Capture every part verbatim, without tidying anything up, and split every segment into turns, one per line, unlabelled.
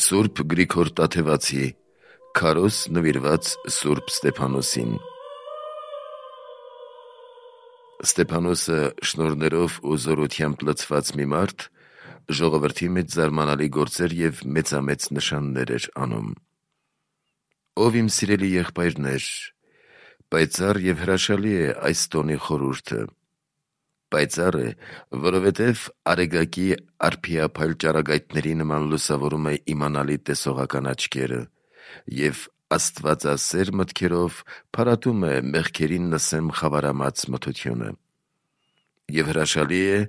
Սուրբ Գրիգոր Տաթևացի, քարոզ նվիրված Սուրբ Ստեփանոսին։ Ստեփանոսը շնորհներով ու զորությամբ լցված մի մարդ, ժողովրդի մեջ զարմանալի գործեր և մեծամեծ նշաններ էր անում։ Ով իմ սիրելի եղբայրներ, պայծառ և հրաշալի է այս տոնի խորհուրդը։ Պայծառ է, որովհետև արեգակի արփիափայլ ճառագայթների նման լուսավորում է իմանալի տեսողական աչքերը և աստվածասեր մտքերով փարատում է մեղքերին նսեմ խավարամած մթությունը։ Եվ հրաշալի է,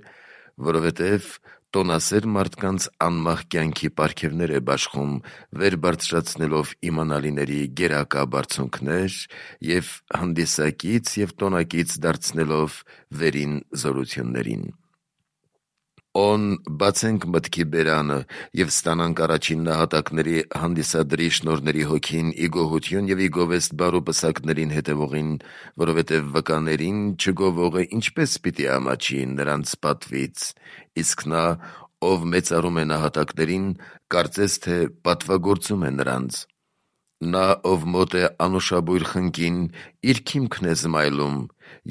որովհետև տոնասեր մարդկանց անմահ կյանքի պարգևներ է բաշխում, վեր բարձրացնելով իմանալիների գերակա բարձունքներ և հանդիսակից և տոնակից դարձնելով վերին զորություններին։ Օն բացենք մտքի բերանը և ստանանք առաջին նահատակների հանդիսադրի շնորհների հոգին ի գոհություն և ի գովեստ բարու պսակներին հետևողին, որովհետև վկաներին չգովողը ինչպես պիտի ամաչի նրանց պատվից, իսկ նա, ով մեծարում է նահատակներին, կարծես թե պատվագործում է նրանց։ Նա, ով մոտ է անուշաբույր խնկին, իր քիմքն է զմայլում,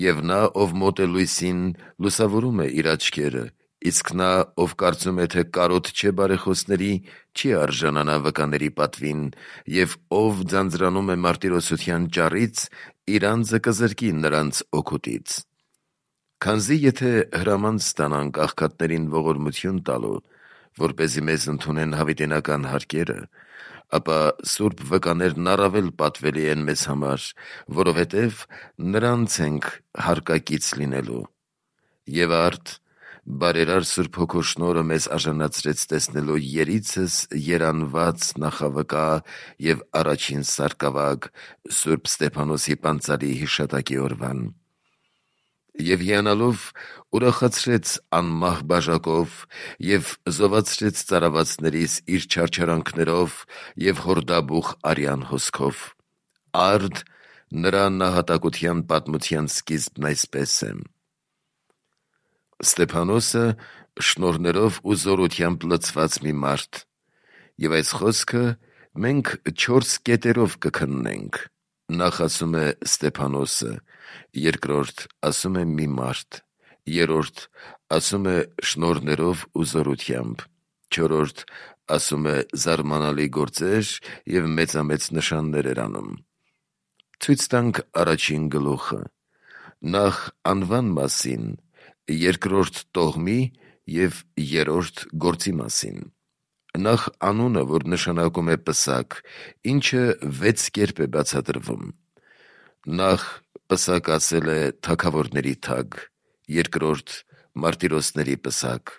և նա, ով մոտ է լույսին, լուսավորում է իր աչքերը, իսկ նա, ով կարծում է, թե կարոտ չէ բարեխոսների, չի արժանանա վկաների պատվին, և ով ձանձրանում է մարտիրոսության ճառից, իր անձը կզրկի նրանց օգուտից։ Քանզի եթե հրաման ստանանք աղքատներին ողորմություն տալու, որպեսզի մեզ ընդունեն հավիտենական հարկերը, ապա սուրբ վկաներն առավել պատվելի են մեզ համար, որովհետև նրանց ենք հարկակից լինելու։ Եվ արդ, բարերար Սուրբ Հոգու շնորհը մեզ արժանացրեց տեսնելու երիցս երանված նախավկա և առաջին սարկավագ Սուրբ Ստեփանոսի պանծալի հիշատակի օրվան։ Եվ հիանալով ուրախացրեց անմահ բաժակով և զովացրեց ծարավացներիս իր չարչարանքներով և հորդաբուխ արյան հոսքով։ Արդ, նրա նահատակության պատմության սկիզբն այսպես է. Ստեփանոսը շնորհներով ու զորությամբ լցված մի մարդ, և այս խոսքը մենք չորս կետերով կքննենք. նախ ասում է Ստեփանոսը, երկրորդ ասում է մի մարդ, երրորդ ասում է շնորհներով ու զորությամբ, չորրորդ ասում է զարմանալի գործեր և մեծամեծ նշաններ էր անում։ Ցույց տանք առաջին գլուխը, նախ անվան մասին, երկրորդ տոհմի և երրորդ գործի մասին։ Նախ անունը, որ նշանակում է պսակ, ինչը վեց կերպ է բացատրվում։ Նախ պսակ ասել է թագավորների թագ, երկրորդ մարտիրոսների պսակ,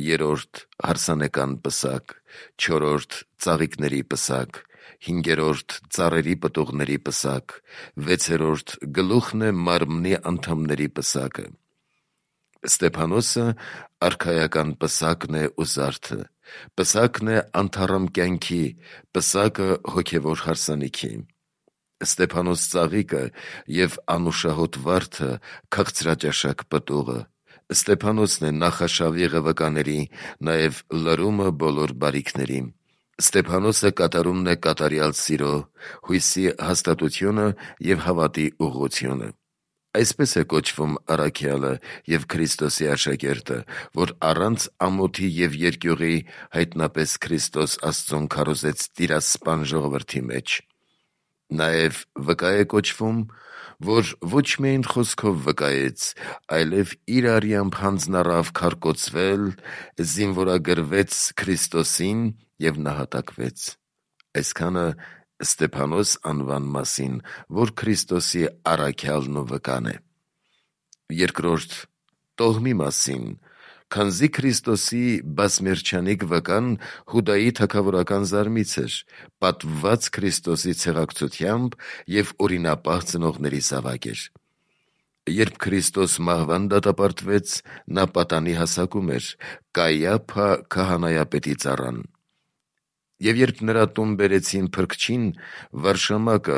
երրորդ հարսանեկան պսակ, չորրորդ ծաղիկների պսակ, հինգերորդ ծառերի պտուղների պսակ, վեցերորդ գլուխն է մարմնի անդամների պսակը։ Ստեփանոսը արքայական պսակն է ու զարդը, պսակն է անթառամ կյանքի, պսակը հոգևոր հարսանիքի։ Ստեփանոս ծաղիկը և անուշահոտ վարդը քաղցրաճաշակ պտուղը, Ստեփանոսն է նախաշավիղը վկաների, նաև լրումը բոլոր բարիքների։ Ստեփանոսը կատարումն է կատարյալ սիրո, հույսի հաստատությունը և հավատի ուղղությունը։ Այսպես է կոչվում առաքյալը և Քրիստոսի աշակերտը, որ առանց ամոթի և երկյուղի հայտնապես Քրիստոս Աստծուն քարոզեց տիրասպան ժողովրդի մեջ։ Նաև վկա է կոչվում, որ ոչ միայն խոսքով վկայեց, այլև իր արյամբ հանձնառավ քարկոծվել, զինվորագրվեց Քրիստոսին և նահատակվեց։ Այսքանը Ստեփանոս անվան մասին, որ Քրիստոսի առաքյալն ու վկան է։ Երկրորդ տոհմի մասին, քանզի Քրիստոսի բազմերջանիկ վկան Հուդայի թագավորական զարմից էր, պատվված Քրիստոսի ցեղակցությամբ և օրինապահ ծնողների զավակ էր։ Երբ Քրիստոս մահվան դատապարտվեց, նա պատանի հասակում էր, Կայափա քահանայապետի ծառան։ Եվ երբ նրա տուն բերեցին փրկչին, վարշամակը,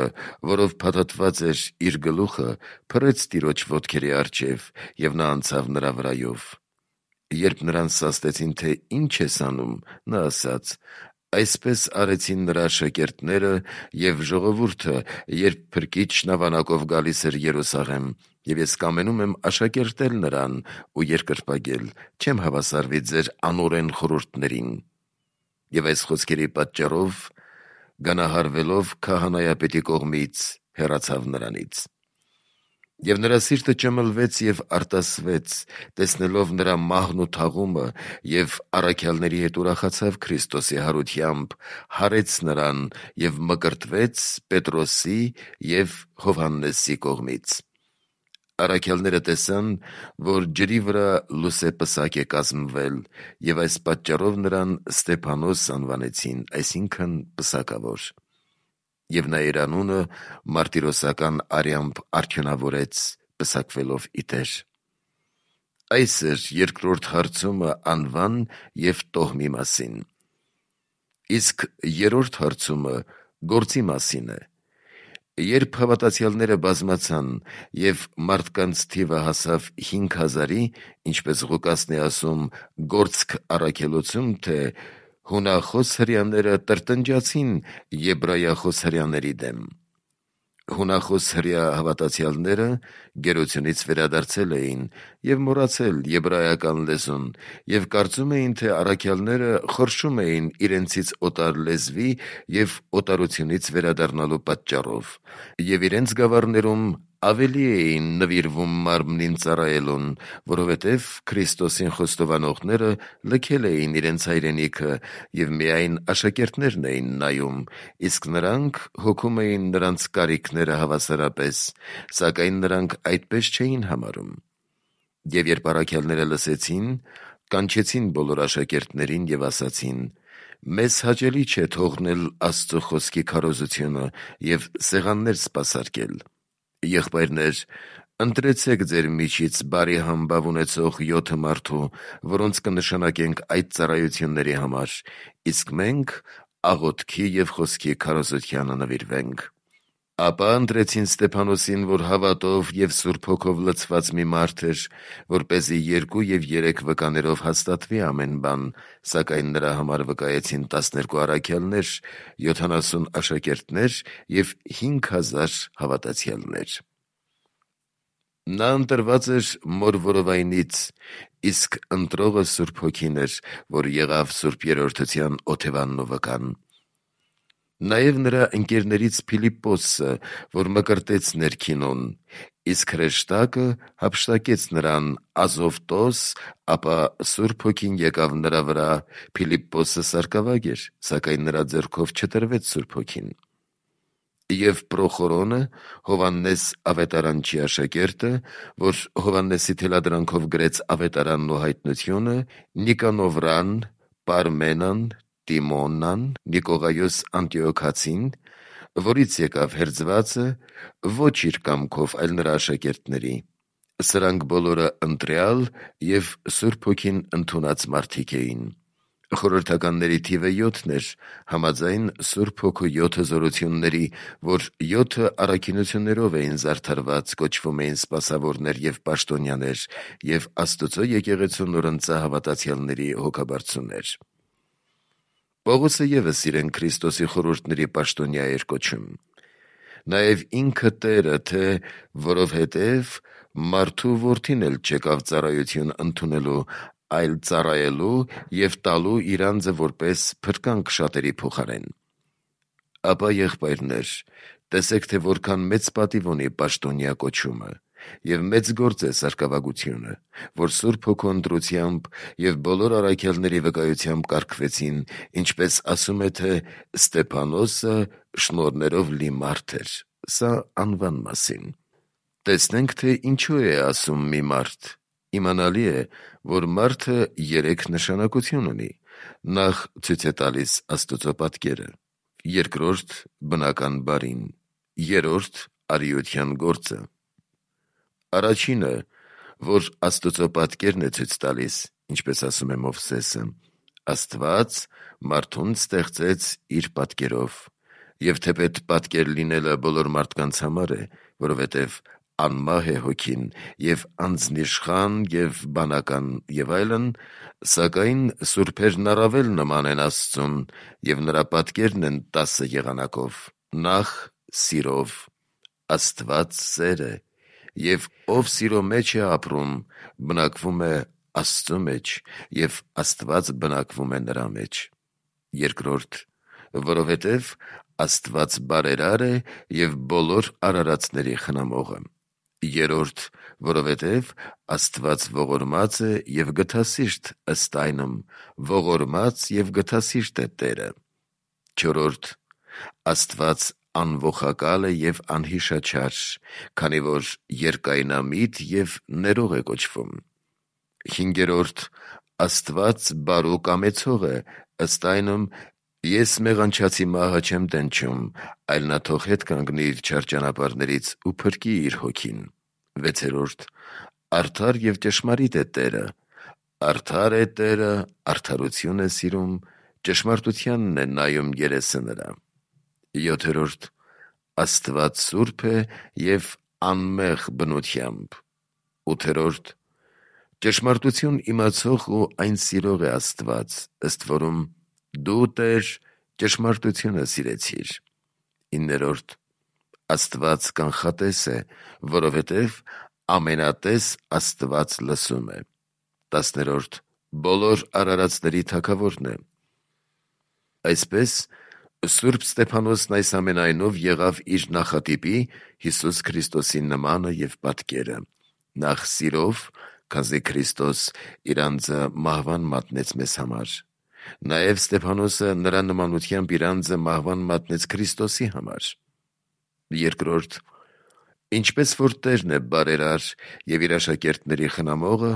որով փաթաթված էր իր գլուխը, փռեց տիրոջ ոտքերի առջև, և նա անցավ նրա վրայով։ Երբ նրան սաստեցին, թե ինչ ես անում, նա ասաց. Այսպես արեցին նրա աշակերտները և ժողովուրդը, երբ փրկիչ նավանակով գալիս էր Երուսաղեմ, և ես կամենում եմ աշակերտել նրան ու երկրպագել, չեմ հավասարվի ձեր անօրեն խորհուրդներին։ Եվ այս խոսքերի պատճառով, գանահարվելով քահանայապետի կողմից, հեռացավ նրանից։ Եվ նրա սիրտը ճմլվեց և արտասվեց, տեսնելով նրա մահն ու թաղումը, և առաքյալների հետ ուրախացավ Քրիստոսի հարությամբ, հարեց նրան և մկրտվեց Պետրոսի և Հովհաննեսի կողմից։ Առաքյալները տեսան, որ ջրի վրա լուսե պսակ է կազմվել, և այս պատճառով նրան Ստեփանոս անվանեցին, այսինքն պսակավոր։ Եվ նա իր անունը մարտիրոսական արյամբ արդյունավորեց, պսակվելով ի Տեր։ Այս էր երկրորդ հարցումը անվան և տոհմի մասին։ Իսկ երրորդ հարցումը գործի մասին է։ Երբ հավատացյալները բազմացան և մարդկանց թիվը հասավ հինգ հազարի, ինչպես Ղուկասն է ասում «Գործք առաքելոցում», թե հունախոս հրեաները տրտնջացին եբրայախոս հրեաների դեմ։ Հունախոս հրեա հավատացյալները գերությունից վերադարձել էին և մոռացել եբրայական լեզուն և կարծում էին, թե առաքյալները խորշում էին իրենցից օտար լեզվի և օտարությունից վերադառնալու պատճառով, և իրենց գավառներում ավելի էին նվիրվում մարմնին ծառայելուն, որովհետև Քրիստոսին խոստովանողները լքել էին իրենց հայրենիքը և միայն աշակերտներն էին նայում, իսկ նրանք հոգում էին նրանց կարիքները հավասարապես, սակայն նրանք այդպես չէին համարում։ Եվ երբ առաքյալները լսեցին, կանչեցին բոլոր աշակերտներին և ասացին. «Մեզ հաճելի չէ թողնել Աստծո խոսքի քարոզությունը և սեղաններ սպասարկել։ Եղբայրներ, ընտրեցեք ձեր միջից բարի համբավ ունեցող յոթ մարդու, որոնց կնշանակենք այդ ծառայությունների համար, իսկ մենք աղոթքի և խոսքի քարոզությանը նվիրվենք»։ Ապա ընտրեցին Ստեփանոսին, որ հավատով և Սուրբ Հոգով լցված մի մարդ էր, որպեսզի երկու և երեք վկաներով հաստատվի ամեն բան, սակայն նրա համար վկայեցին տասներկու առաքյալներ, յոթանասուն աշակերտներ և հինգ հազար հավատացյալներ։ Նա ընտրված էր մոր որովայնից, իսկ ընտրողը Սուրբ Հոգին էր, որ եղավ Սուրբ Երրորդության օթևանն ու վկան։ Նաև նրա ընկերներից Փիլիպպոսը, որ մկրտեց ներքինուն, իսկ հրեշտակը հափշտակեց նրան Ազովտոս, ապա Սուրբ Հոգին եկավ նրա վրա, Փիլիպպոսը սարկավագ էր, սակայն նրա ձեռքով չտրվեց Սուրբ Հոգին։ Եվ Պրոխորոնը, Հովհաննես ավետարանչի աշակերտը, որ Հովհաննեսի թելադրանքով գրեց Ավետարանն ու հայտնությունը, Նիկանովրան, Պարմենան, Տիմոնան, Նիկողայոս Անտիոքացին, որից եկավ հերձվածը, ոչ իր կամքով, այլ նրա աշակերտների։ Սրանք բոլորը ընտրյալ և Սուրբ Հոգին ընդունած մարդիկ էին։ Խորհրդականների թիվը յոթն էր, համաձայն Սուրբ Հոգու յոթ հզորությունների, որ յոթը առաքինություններով էին զարդարված, կոչվում էին սպասավորներ և պաշտոնյաներ, և Աստծո եկեղեցու նորընծա հավատացյալների հոգաբարձուներ։ Պողոսը ևս իրեն Քրիստոսի խորհուրդների պաշտոնյա էր կոչում։ Նաև ինքը Տերը, թե որովհետև մարդու որդին էլ չեկավ ծառայություն ընդունելու, այլ ծառայելու և տալու իր անձը որպես փրկանք շատերի փոխարեն։ Ապա, եղբայրներ, տեսեք, թե որքան մեծ պատիվ ունի պաշտոնյա կոչումը, և մեծ գործ է սարկավագությունը, որ Սուրբ Հոգու ընտրությամբ և բոլոր առաքյալների վկայությամբ կարգվեցին, ինչպես ասում է, թե Ստեփանոսը շնորհներով լի մարդ էր։ Սա անվան մասին։ Տեսնենք, թե ինչու է ասում մի մարդ։ Իմանալի է, որ մարդը երեք նշանակություն ունի. նախ ցույց է տալիս Աստծո պատկերը, երկրորդ բնական բարին, երրորդ արիության գործը։ Առաջինը, որ Աստծո պատկերն է ցույց տալիս, ինչպես ասում է Մովսեսը, Աստված մարդուն ստեղծեց իր պատկերով, և թեպետ պատկեր լինելը բոլոր մարդկանց համար է, որովհետև անմահ է հոգին, և անձնիշխան և բանական և այլն, սակայն սուրբերն առավել նման են Աստծուն, և նրա պատկերն են տասը եղանակով. նախ սիրով, Աստված սեր է, և ով սիրո մեջ է ապրում, բնակվում է Աստծու մեջ, և Աստված բնակվում է նրա մեջ. երկրորդ, որովհետև Աստված բարերար է և բոլոր արարածների խնամողը. երրորդ, որովհետև Աստված ողորմած է և գթասիրտ, ըստ այնմ, ողորմած և գթասիրտ է Տերը. չորրորդ, Աստված անողակալ է և անհիշաչար, քանի որ երկայնամիտ և ներող է կոչվում. հինգերորդ, Աստված բարու կամեցող է, ըստ այնմ, ես մեղանչացի մահը չեմ տենչում, այլ նա թող հետ կանգնի իր չար ճանապարհներից ու փրկի իր հոգին. վեցերորդ, արդար և ճշմարիտ է Տերը, արդար է Տերը, արդարություն է սիրում, ճշմարտությանն է նայում երեսը նրա. յոթերորդ, Աստված սուրբ է և անմեղ բնությամբ. ութերորդ, ճշմարտություն իմացող ու այն սիրող է Աստված, ըստ որում դու, Տեր, ճշմարտությունը սիրեցիր. իններորդ, Աստված կանխատես է, որովհետև ամենատես Աստված լսում է. տասներորդ, բոլոր արարածների թագավորն է. այսպես Սուրբ Ստեփանոսն այս ամենայնով եղավ իր նախատիպի Հիսուս Քրիստոսի նմանը և պատկերը, նախ սիրով, քանզի Քրիստոս իր անձը մահվան մատնեց մեզ համար. նաև Ստեփանոսը նրա նմանությամբ իր անձը մահվան մատնեց Քրիստոսի համար. երկրորդ, ինչպես որ Տերն է բարերար և իր աշակերտների խնամողը,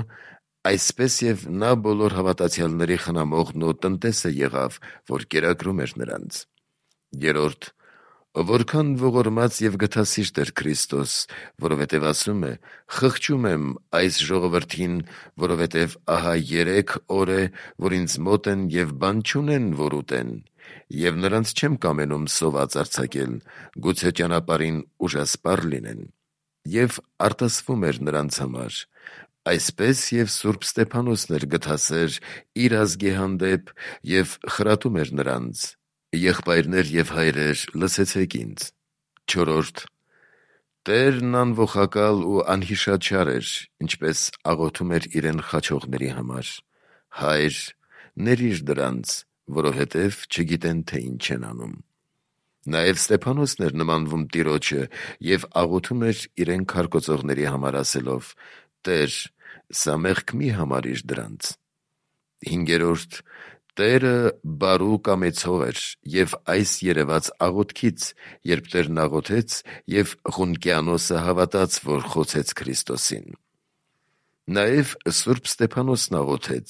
այսպես և նա բոլոր հավատացյալների խնամողն ու տնտեսը եղավ, որ կերակրում էր նրանց. երրորդ, որքան ողորմած և գթասիրտ էր Քրիստոս, որովհետև ասում է. «Խղճում եմ այս ժողովրդին, որովհետև ահա երեք օր է, որ ինձ մոտ են և բան չունեն, որ ուտեն, և նրանց չեմ կամենում սոված արձակել, գուցե ճանապարհին ուժասպառ լինեն», և արտասվում էր նրանց համար. այսպես և Սուրբ Ստեփանոսն էր գթասեր իր ազգի հանդեպ և խրատում էր նրանց. եղբայրներ և հայրեր, լսեցեք ինձ. չորրորդ, Տերն անողակալ ու անհիշաչար էր, ինչպես աղոթում էր իրեն խաչողների համար. Հայր, ներիր դրանց, որովհետև չգիտեն, թե ինչ են անում. նաև Ստեփանոսն էր նմանվում Տիրոջը և աղոթում էր իրեն քարկոծողների համար ասելով. «Տեր, սա մեղք մի համարիր դրանց»։ հինգերորդ, Տերը բարու կամեցող էր և այս երևաց աղոթքից, երբ Տերն աղոթեց և Ղունկիանոսը հավատաց, որ խոցեց Քրիստոսին. նաև Սուրբ Ստեփանոսն աղոթեց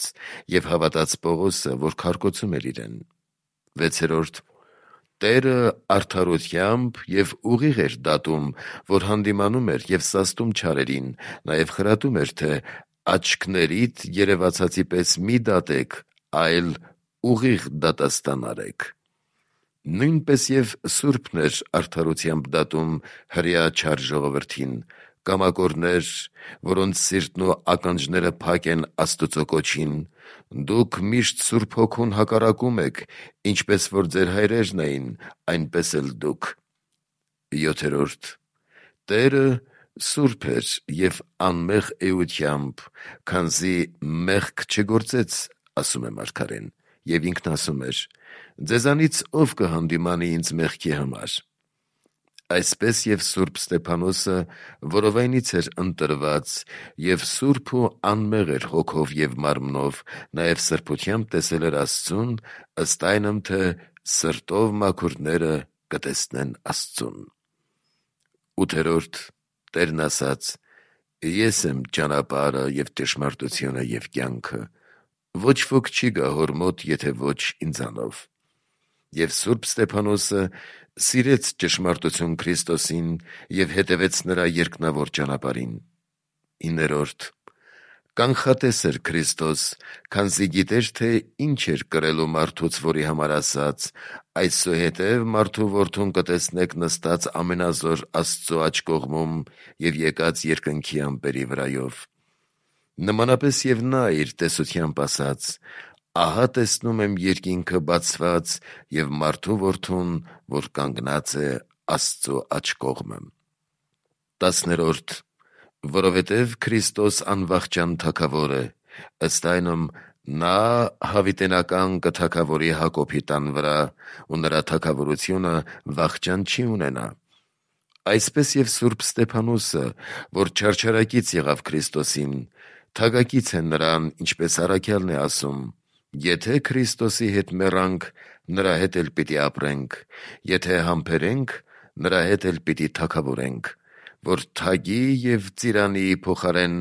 և հավատաց Պողոսը, որ քարկոծում էր իրեն. վեցերորդ, Տերը արդարությամբ և ուղիղ էր դատում, որ հանդիմանում էր և սաստում չարերին, նաև խրատում էր, թե աչքներիդ երևացածի պես մի դատեք, այլ ուղիղ դատաստան արեք. նույնպես և Սուրբն էր արդարությամբ դատում հրեա չար ժողովրդին, կամակորներ, որոնց սիրտն ու ականջները փակ են Աստուծո կոչին, դուք միշտ Սուրբ Հոգուն հակառակում եք, ինչպես որ ձեր հայրերն էին, այնպես էլ դուք. յոթերորդ, Տերը սուրբ էր և անմեղ էությամբ, քանզի մեղք չգործեց, ասում է մարգարեն, և ինքն ասում էր. ձեզանից ով կհանդիմանի ինձ մեղքի համար. այսպես և Սուրբ Ստեփանոսը որովայնից էր ընտրված և սուրբ ու անմեղ էր հոգով և մարմնով, նաև սրբությամբ տեսել էր Աստծուն, ըստ այնմ, թե սրտով մաքուրները կտեսնեն Աստծուն. ութերորդ, Տերն ասաց. «Ես եմ ճանապարհը և ճշմարտությունը և կյանքը, ոչ ոք չի գա Հոր մոտ, եթե ոչ ինձանով»։ Եվ Սուրբ Ստեփանոսը սիրեց ճշմարտություն Քրիստոսին և հետևեց նրա երկնավոր ճանապարհին. հինգերորդ, Կանխատես էր Քրիստոս, քանզի գիտեր, թե ինչ էր կրելու մարդուց, որի համար ասաց. «Այսուհետև մարդու որդուն կտեսնեք նստած ամենազոր Աստծո աջ կողմում և եկած երկնքի ամպերի վրայով»։ Նմանապես և նա իր տեսությամբ ասաց. «Ահա տեսնում եմ երկինքը բացված և մարդու որդուն, որ կանգնած է Աստծո աջ կողմը»։ տասներորդ. Որովհետև Քրիստոս անվախճան թագավոր է, ըստ այնմ նա հավիտենական կթագավորի Հակոբի տան վրա, ու նրա թագավորությունը վախճան չի ունենա։ Այսպես և Սուրբ Ստեփանոսը, որ չարչարակից եղավ Քրիստոսին, թագակից է նրան, ինչպես առաքյալն է ասում. «Եթե Քրիստոսի հետ մեռանք, նրա հետ էլ պիտի ապրենք, եթե համբերենք, նրա հետ էլ պիտի թագավորենք, որ թագի և ծիրանի փոխարեն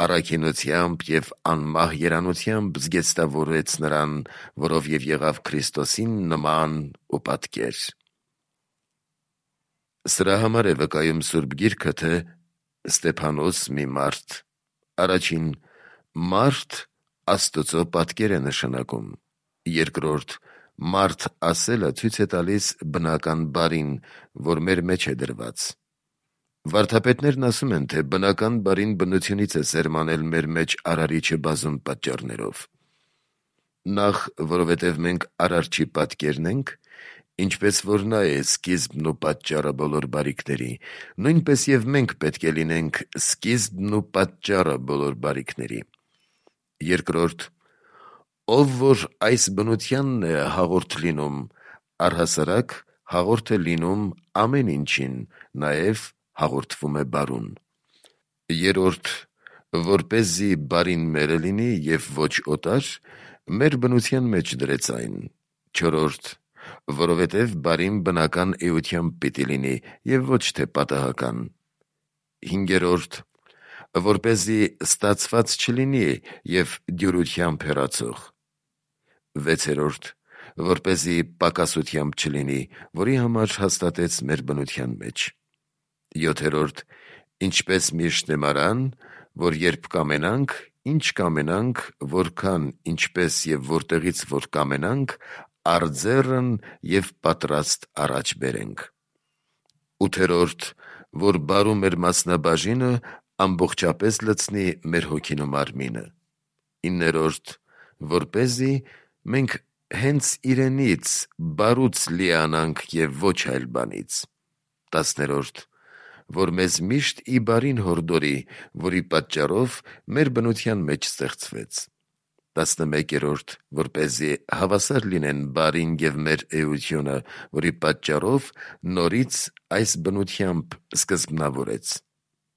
առաքինությամբ և անմահ երանությամբ զգեստավորեց նրան, որով և եղավ Քրիստոսին նման ու պատկեր»։ Սրա համար է վկայում Սուրբ Գիրքը, թե Ստեփանոս մի մարդ։ Առաջին, մարդ Աստծո պատկեր է նշանակում։ Երկրորդ, մարդ ասելը ցույց է տալիս բնական բարին, որ մեր մեջ է դրված։ Վարդապետներն ասում են, թե բնական բարին բնությունից է սերմանել մեր մեջ Արարիչը բազում պատճառներով։ Նախ, որովհետև մենք Արարչի պատկերն ենք, ինչպես որ նա է սկիզբն ու պատճառը բոլոր բարիքների, նույնպես և մենք պետք է լինենք սկիզբն ու պատճառը բոլոր բարիքների։ Երկրորդ, ով որ այս բնությանն է հաղորդ լինում, առհասարակ հաղորդ է լինում ամեն ինչին, նաև հաղորդվում է բարուն։ Երրորդ, որպեսզի բարին մերը լինի և ոչ օտար, մեր բնության մեջ դրեց այն։ Չորրորդ, որովհետև բարին բնական էությամբ պիտի լինի և ոչ թե պատահական։ Հինգերորդ, որպեսզի ստացված չլինի և դյուրությամբ հեռացող։ Վեցերորդ, որպեսզի պակասությամբ չլինի, որի համար հաստատեց մեր բնության մեջ։ Յոթերորդ, ինչպես միշտ նեմարան, որ երբ կամենանք, ինչ կամենանք, որքան, ինչպես և որտեղից որ կամենանք, արձեռն և պատրաստ առաջ բերենք։ Ութերորդ, որ բարու մեր մասնաբաժինը ամբողջապես լցնի մեր հոգին ու մարմինը։ Իններորդ, որպեսզի մենք հենց իրենից բարուց լիանանք և ոչ այլ բանից։ Տասներորդ, որ մեզ միշտ ի բարին հորդորի, որի պատճառով մեր բնության մեջ ստեղծվեց։ Տասնմեկերորդ, որպեսզի հավասար լինեն բարին և մեր էությունը, որի պատճառով նորից այս բնությամբ սկզբնավորեց։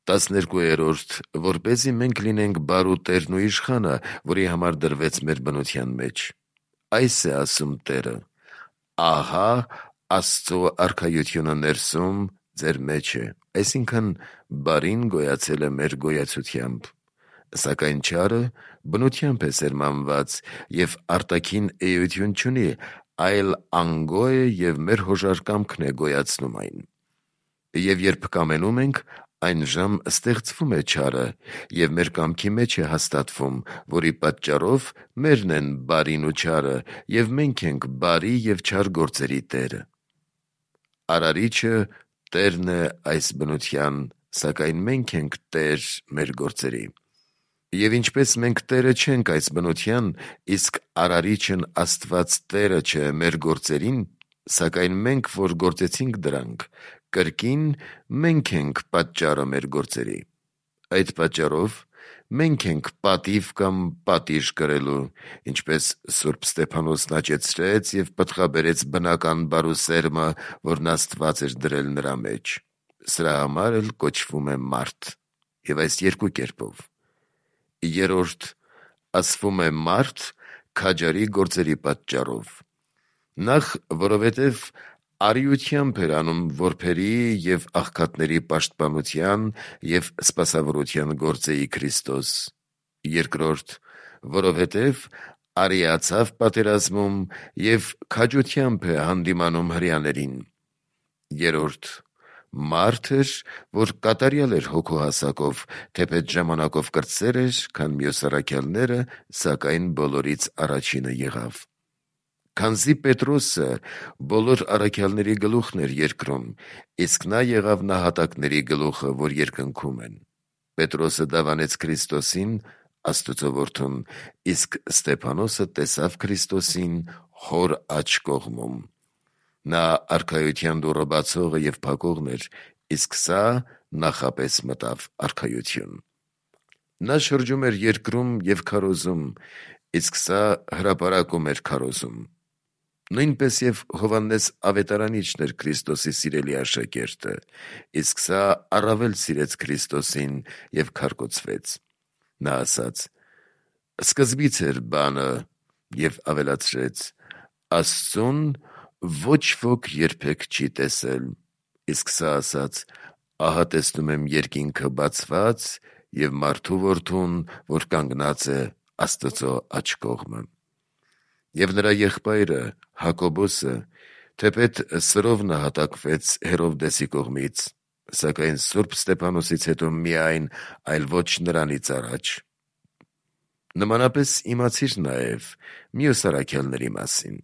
Տասներկուերորդ, որպեսզի մենք լինենք բարու տերն ու իշխանը, որի համար դրվեց մեր բնության մեջ։ Այս է ասում Տերը. «Ահա Աստծո արքայությունը ներսում ձեր մեջ է», այսինքն բարին գոյացել է մեր գոյացությամբ։ Սակայն չարը բնությամբ է սերմանված և արտաքին էություն չունի, այլ անգո է և մեր հոժարկամքն է գոյացնում այն։ Եվ երբ կամենում ենք, այնժամ ստեղծվում է չարը և մեր կամքի մեջ է հաստատվում, որի պատճառով մերն են բարին ու չարը, և մենք ենք բարի և չար գործերի տերը։ Արարիչը տերն է այս բնության, սակայն մենք ենք տեր մեր գործերի։ Եվ ինչպես մենք տերը չենք այս բնության, իսկ Արարիչն Աստված տերը չէ մեր գործերին, սակայն մենք, որ գործեցինք դրանք, կրկին մենք ենք պատճառը մեր գործերի։ Այդ պատճառով մենք ենք պատիվ կամ պատիժ կրելու, ինչպես Սուրբ Ստեփանոսն աճեցրեց և պտղաբերեց բնական բարու սերմը, որն Աստված էր դրել նրա մեջ։ Սրա համար էլ կոչվում է մարդ, և այս երկու կերպով։ Երրորդ, ասվում է մարդ քաջարի գործերի պատճառով։ Նախ, որովհետև արիությամբ էր անում որբերի և աղքատների պաշտպանության և սպասավորության գործեի Քրիստոս։ Երկրորդ, որովհետև արիացավ պատերազմում և քաջությամբ է հանդիմանում հրեաներին։ Երրորդ, մարդ էր, որ կատարյալ էր հոգու հասակով, թեպետ ժամանակով կրտսեր էր, քան մյուս առաքյալները, սակայն բոլորից առաջինը եղավ։ Քանզի Պետրոսը բոլոր առաքյալների գլուխն էր երկրում, իսկ նա եղավ նահատակների գլուխը, որ երկնքում են։ Պետրոսը դավանեց Քրիստոսին, Աստծո որդուն, իսկ Ստեփանոսը տեսավ Քրիստոսին հոր աջ կողմում։ Նա արքայության դուռը բացողը և փակողն էր, իսկ սա նախապես մտավ արքայություն։ Նա շրջում էր երկրում և քարոզում, իսկ սա հրապարակում էր քարոզում։ Նույնպես և Հովհաննես Ավետարանիչն էր Քրիստոսի սիրելի աշակերտը, իսկ սա առավել սիրեց Քրիստոսին և քարկոծվեց։ Նա ասաց. «Սկզբից էր բանը» և ավելացրեց. «Աստծուն ոչ ոք երբեք չի տեսել»։ Իսկ սա ասաց. «Ահա տեսնում եմ երկինքը բացված և մարդու որդուն, որ կանգնած է Աստծո աջ կողմը»։ Եվ նրա եղբայրը Հակոբոսը թեպետ սրով նահատակվեց Հերովդեսի կողմից, սակայն Սուրբ Ստեփանոսից հետո միայն, այլ ոչ նրանից առաջ։ Նմանապես իմացիր նաև մյուս առաքյալների մասին։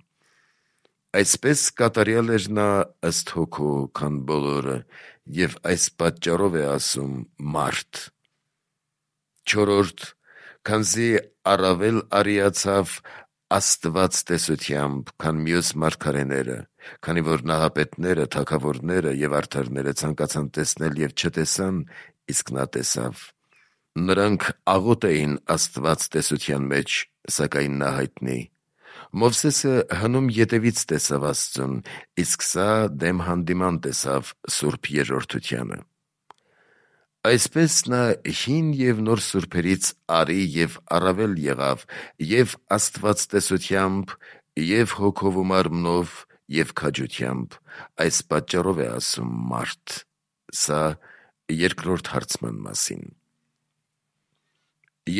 Այսպես կատարյալ էր նա ըստ հոգու, քան բոլորը, և այս պատճառով է ասում մարդ։ Չորրորդ, քանզի առավել արիացավ Աստված տեսությամբ, քան մյուս մարգարեները, քանի որ նահապետները, թագավորները և արդարները ցանկացան տեսնել և չտեսան, իսկ նա տեսավ։ Նրանք աղոտ էին Աստված տեսության մեջ, սակայն նա հայտնի։ Մովսեսը հնում ետևից տեսավ Աստծուն, իսկ սա դեմ հանդիման տեսավ Սուրբ Երրորդությանը։ Այսպես նա հին և նոր սուրբերից արի և առավել եղավ և Աստված տեսությամբ, և հոգով ու մարմնով, և քաջությամբ, այս պատճառով է ասում մարդ։ Սա երկրորդ հարցման մասին։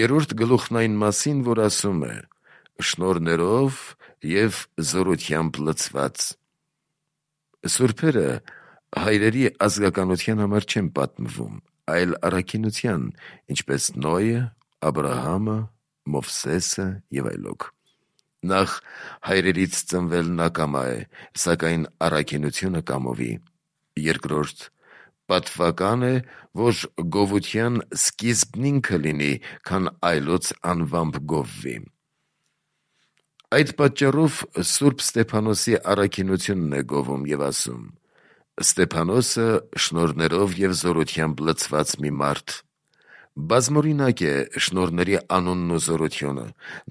Երրորդ գլուխն այն մասին, որ ասում է. շնորհներով և զորությամբ լցված։ Սուրբերը հայրերի ազգականության համար չեն պատմվում, այլ առաքինության, ինչպես Նոյը, Աբրահամը, Մովսեսը և այլոք։ Նախ հայրերից ծնվելն ակամա է, սակայն առաքինությունը կամովի։ Երկրորդ, պատվական է, որ գովության սկիզբն ինքը լինի, քան այլոց անվամբ գովվի։ Այդ պատճառով Սուրբ Ստեփանոսի առաքինությունն է գովում և ասում. Ստեփանոսը շնորհներով և զորությամբ լցված մի մարդ։ Բազմօրինակ է շնորհների անունն ու զորությունը։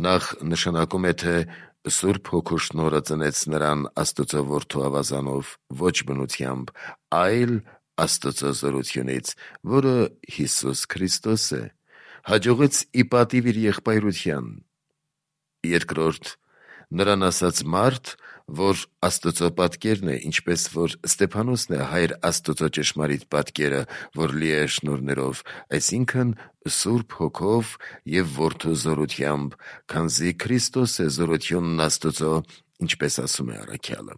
Նախ նշանակում է, թե Սուրբ Հոգու շնորհը ծնեց նրան Աստծո որդու ավազանով, ոչ բնությամբ, այլ Աստծո զորությունից, որը Հիսուս Քրիստոս է, հաջողեց ի պատիվ իր եղբայրության։ Երկրորդ, նրան ասած մարդ, որ Աստծո պատկերն է, ինչպես որ Ստեփանոսն է Հայր Աստծո ճշմարիտ պատկերը, որ լի է շնորհներով, այսինքն Սուրբ Հոգով և Որդու զորությամբ, քանզի Քրիստոս է զորությունն Աստծո, ինչպես ասում է առաքյալը։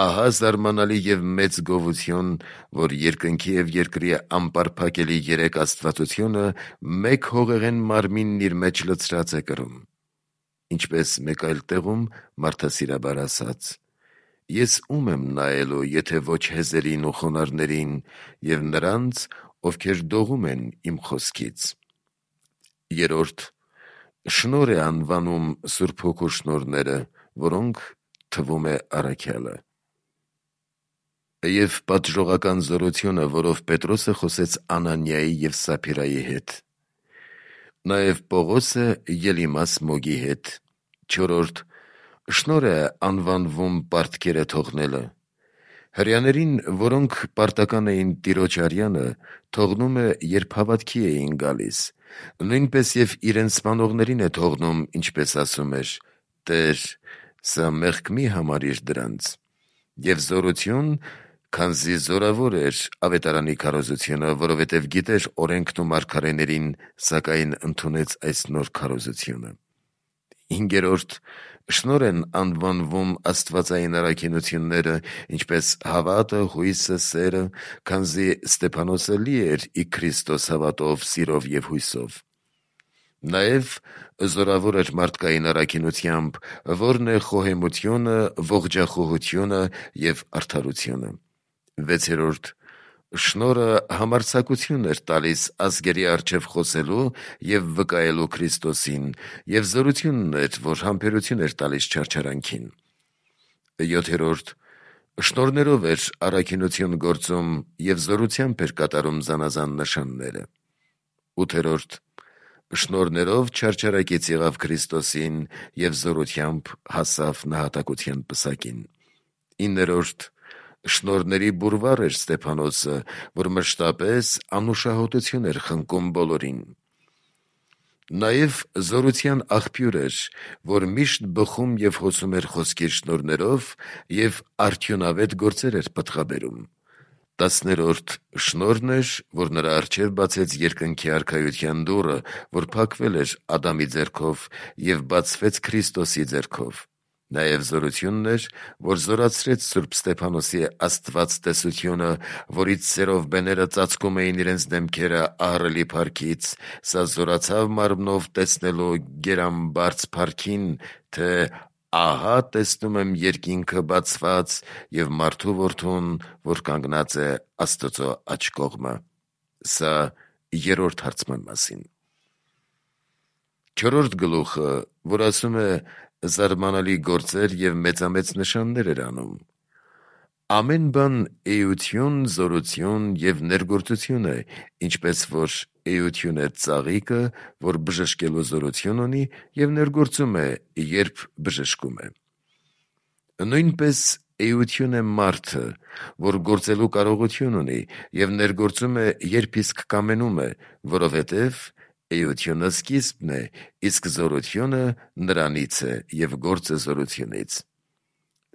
Ահա զարմանալի և մեծ գովություն, որ երկնքի և երկրի անպարփակելի երեք աստվածությունը մեկ հողեղեն մարմինն իր մեջ լցրած է կրում։ Ինչպես մեկ այլ տեղում մարդասիրաբար ասաց. «Ես ում եմ նայելու, եթե ոչ հեզերին ու խոնարհներին և նրանց, ովքեր դողում են իմ խոսքից»։ Երրորդ, շնորհ է անվանում Սուրբ Հոգու շնորհները, որոնք թվում է առաքյալը։ Եվ պատժողական զորությունը, որով Պետրոսը խոսեց Անանիայի և Սափիրայի հետ։ Նաև Պողոսը Ելիմաս Մոգի հետ։ Չորրորդ, շնորհ է անվանվում պարտքերը թողնելը։ Հրեաներին, որոնք պարտական էին Տիրոջ արյանը, թողնում է, երբ հավատքի էին գալիս, նույնպես և իրենց սպանողներին է թողնում, ինչպես ասում էր. «Տեր, սա մեղք մի համարիր դրանց»։ Եվ զորություն, քանզի զորավոր էր ավետարանի քարոզությունը, որովհետև գիտեր օրենքն ու մարգարեներին, սակայն ընդունեց այս նոր քարոզությունը։ Հինգերորդ. շնորհ են անվանվում աստվածային առաքինությունները, ինչպես հավատը, հույսը, սերը, քանզի Ստեփանոսը լի էր ի Քրիստոս հավատով, սիրով և հույսով։ Նաև զորավոր էր մարդկային առաքինությամբ, որն է խոհեմությունը, ողջախոհությունը և արդարությունը։ Վեցերորդ. շնորհը համարձակություն էր տալիս ազգերի առջև խոսելու և վկայելու Քրիստոսին, և զորությունն էր, որ համբերություն էր տալիս չարչարանքին։ Յոթերորդ. շնորհներով էր առաքինություն գործում և զորությամբ էր կատարում զանազան նշանները։ Ութերորդ. շնորհներով չարչարակից եղավ Քրիստոսին և զորությամբ հասավ նահատակության պսակին։ Իններորդ. շնորհների բուրվար էր Ստեփանոսը, որ մշտապես անուշահոտություն էր խնկում բոլորին։ Նաև զորության աղբյուր էր, որ միշտ բխում և հոսում էր խոսքի շնորհներով և արդյունավետ գործեր էր պտղաբերում։ Տասներորդ. շնորհն էր, որ նրա առջև բացեց երկնքի արքայության դուռը, որ փակվել էր Ադամի ձեռքով և բացվեց Քրիստոսի ձեռքով։ Նաև զորությունն էր, որ զորացրեց Սուրբ Ստեփանոսի աստվածտեսությունը, որից սերով բեները ծածկում էին իրենց դեմքերը ահռելի փառքից, սա զորացավ մարմնով տեսնելու գերամբարձ փառքին, թե ահա տեսնում եմ երկինքը բացված և մարդու որդուն, որ կանգնած է Աստծո աջ կողմը։ Սա երրորդ հարցման մասին։ Չորրորդ գլուխը, որ ասում է զարմանալի գործեր և մեծամեծ նշաններ էր անում։ Ամեն բան էություն, զորություն և ներգործություն է, ինչպես որ էություն է ծաղիկը, որ բժշկելու զորություն ունի և ներգործում է, երբ բժշկում է։ Նույնպես էություն է մարդը, որ գործելու կարողություն ունի և ներգործում է, երբ իսկ կամենում է, որովհետև էությունը սկիզբն է, իսկ զորությունը նրանից է և գործը զորությունից։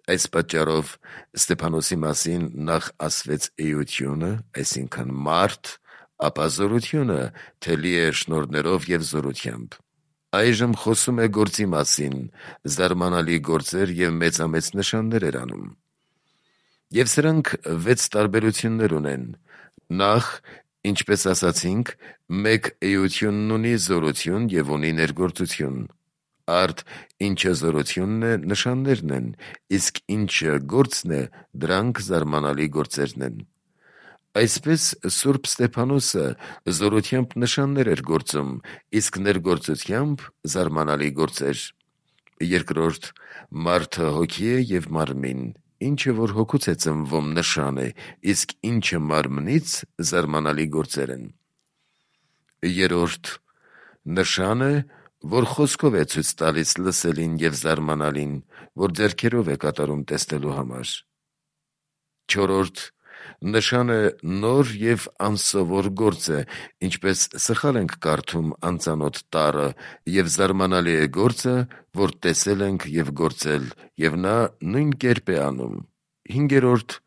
Այս պատճառով Ստեփանոսի մասին նախ ասվեց էությունը, այսինքն մարդ, ապա զորությունը, թե լի է շնորհներով և զորությամբ։ Այժմ խոսում է գործի մասին, զարմանալի գործեր և մեծամեծ նշաններ էր անում։ Եվ սրանք վեց տարբերություններ ունեն։ Նախ, ինչպես ասացինք, մեկ էությունն ունի զորություն և ունի ներգործություն։ Արդ ինչը զորությունն է, նշաններն են, իսկ ինչը գործն է, դրանք զարմանալի գործերն են։ Այսպես Սուրբ Ստեփանոսը զորությամբ նշաններ էր գործում, իսկ ներգործությամբ զարմանալի գործեր։ Երկրորդ, մարդը հոգի է և մարմին, ինչը որ հոգուց է ծնվում նշան է, իսկ ինչը մարմնից զարմանալի գործեր են։ Երրորդ, նշան է, որ խոսքով է ցույց տալիս լսելին և զարմանալին, որ ձեռքերով է կատարում տեսնելու համար։ Չորրորդ, նշան է նոր և անսովոր գործ է, ինչպես սխալ ենք կարդում անծանոթ տառը, և զարմանալի է գործը, որ տեսել ենք և գործել, և նա նույն կերպ է անում։ Հինգերորդ,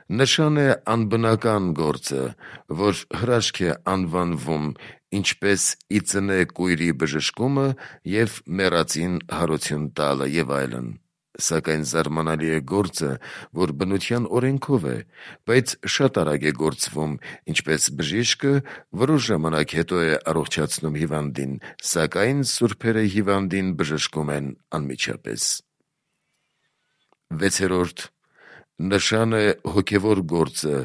նշան է անբնական գործը, որ հրաշք է անվանվում, ինչպես ի ծնե կույրի բժշկումը և մեռածին հարություն տալը և այլն։ Սակայն զարմանալի է գործը, որ բնության օրենքով է, բայց շատ արագ է գործվում, ինչպես բժիշկը որոշ ժամանակ հետո է առողջացնում հիվանդին, սակայն սուրբերը հիվանդին բժշկում են անմիջապես։ Վեցերորդ, նշան է հոգևոր գործը,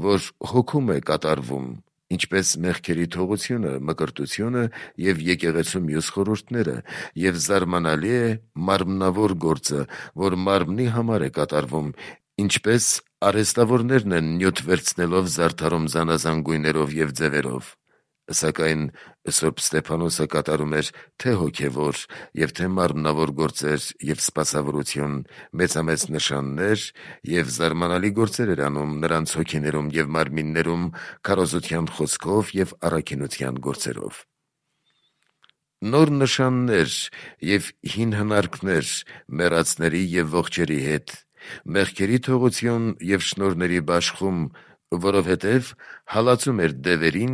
որ հոգում է կատարվում, ինչպես մեղքերի թողությունը, մկրտությունը և եկեղեցու մյուս խորհուրդները, և զարմանալի է մարմնավոր գործը, որ մարմնի համար է կատարվում, ինչպես արհեստավորներն են նյութ վերցնելով զարդարում զանազան գույներով և ձևերով։ Սակայն Սուրբ Ստեփանոսը կատարում էր թե հոգևոր և թե մարմնավոր գործեր և սպասավորություն, մեծամեծ նշաններ և զարմանալի գործեր էր անում նրանց հոգիներում և մարմիններում քարոզության խոսքով և առաքինության գործերով։ Նոր նշաններ և հին հնարքներ մեռածների և ողջերի հետ, մեղքերի թողություն և շնորհների բաշխում, որովհետև հալածում էր դևերին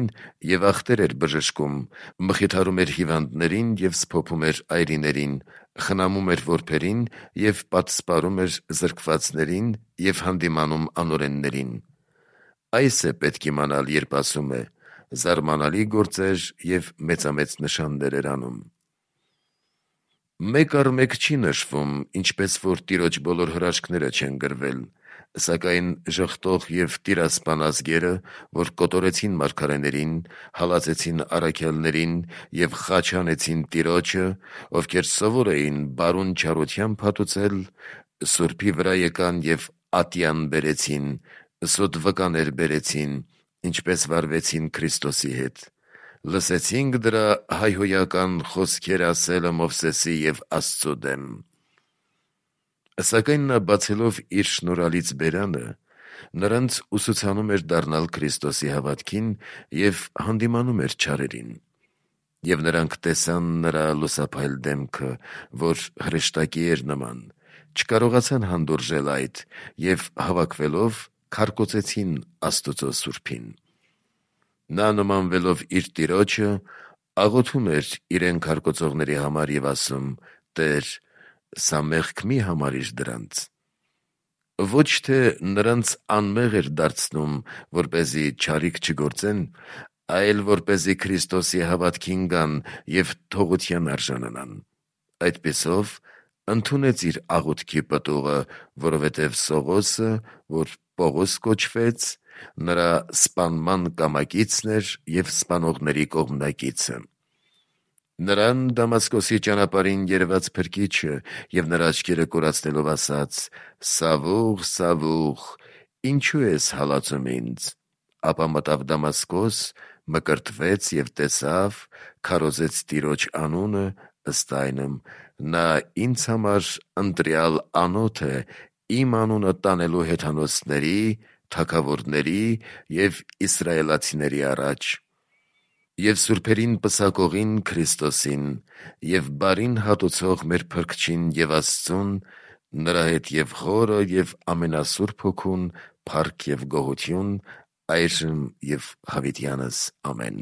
և ախտեր էր բժշկում, մխիթարում էր հիվանդներին և սփոփում էր այրիներին, խնամում էր որբերին և պատսպարում էր զրկվածներին և հանդիմանում անօրեններին։ Այս է պետք իմանալ, երբ ասում է. «Զարմանալի գործեր և մեծամեծ նշաններ էր անում»։ Մեկ առ մեկ չի նշվում, ինչպես որ Տիրոջ բոլոր հրաշքները չեն գրվել, սակայն ժխտող և տիրասպան ազգերը, որ կոտորեցին մարգարեներին, հալածեցին առաքյալներին և խաչ հանեցին Տիրոջը, ովքեր սովոր էին բարուն չարությամբ հատուցել, Սուրբի վրա եկան և ատյան բերեցին, սոտ վկաներ բերեցին, ինչպես վարվեցին Քրիստոսի հետ, լսեցինք դրա հայհոյական խոսքերը ասելը Մովսեսի և Աստծու դեմ։ Սակայն նա, բացելով իր շնորհալից բերանը, նրանց ուսուցանում էր դառնալ Քրիստոսի հավատքին և հանդիմանում էր չարերին։ Եվ նրանք տեսան նրա լուսափայլ դեմքը, որ հրեշտակի էր նման, չկարողացան հանդուրժել այդ և հավաքվելով քարկոծեցին Աստուծո Սուրբին։ Նա, նմանվելով իր տիրոջը, աղոթում էր իրեն քարկոծողների համար և ասում. «Տե՛ր, սա մեղք մի՛ համարիր դրանց»։ Ոչ թե նրանց անմեղ էր դարձնում, որպեսզի չարիք չգործեն, այլ որպեսզի Քրիստոսի հավատքին գան և թողության արժանանան։ Այդպիսով ընդունեց իր աղոթքի պտուղը, որովհետև Սողոսը, որ Պողոս կոչվեց, նրա սպանման կամակիցն էր և սպանողների կողմնակիցը։ Նրան Դամասկոսի ճանապարհին երևաց Փրկիչը և նրա աչքերը կորացնելով ասաց. «Սավուղ, Սավուղ, ինչո՞ւ ես հալածում ինձ»։ Ապա մտավ Դամասկոս, մկրտվեց և տեսավ, քարոզեց Տիրոջ անունը, ըստ այնմ. նա ինձ համար ընտրյալ անոթ է իմ անունը տանելու հեթանոսների, թագավորների և իսրայելացիների առաջ։ Եվ սուրբերին պսակողին Քրիստոսին և բարին հատուցող մեր Փրկչին և Աստծուն, նրա հետ և Հորը և ամենասուրբ Հոգուն, փառք և գոհություն այժմ և հավիտյանս։ Ամեն։